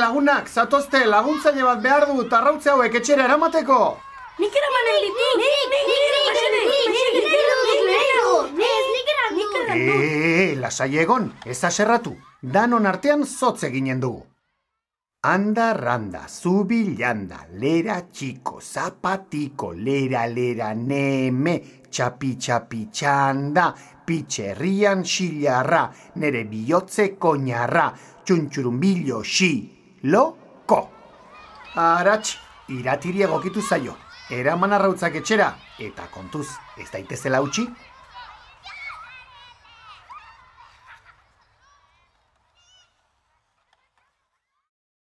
Lagunak, zatozte, laguntzaile bat behar dut arrautze hauek etxera eramateko. Nik eramanen ditut. Lasai egon, ez aserratu. Danon artean zotz eginen dugu. Anda, randa, zubilanda, lera txiko, zapatiko, lera, neme, txapi, txanda, pitxerrian xilarra, nere bihotze koñarra, txuntxurumbillo loko. Aratx, iratiri egokitu zaio, eraman arrautzak etxera, eta kontuz, ez daitezela utzi?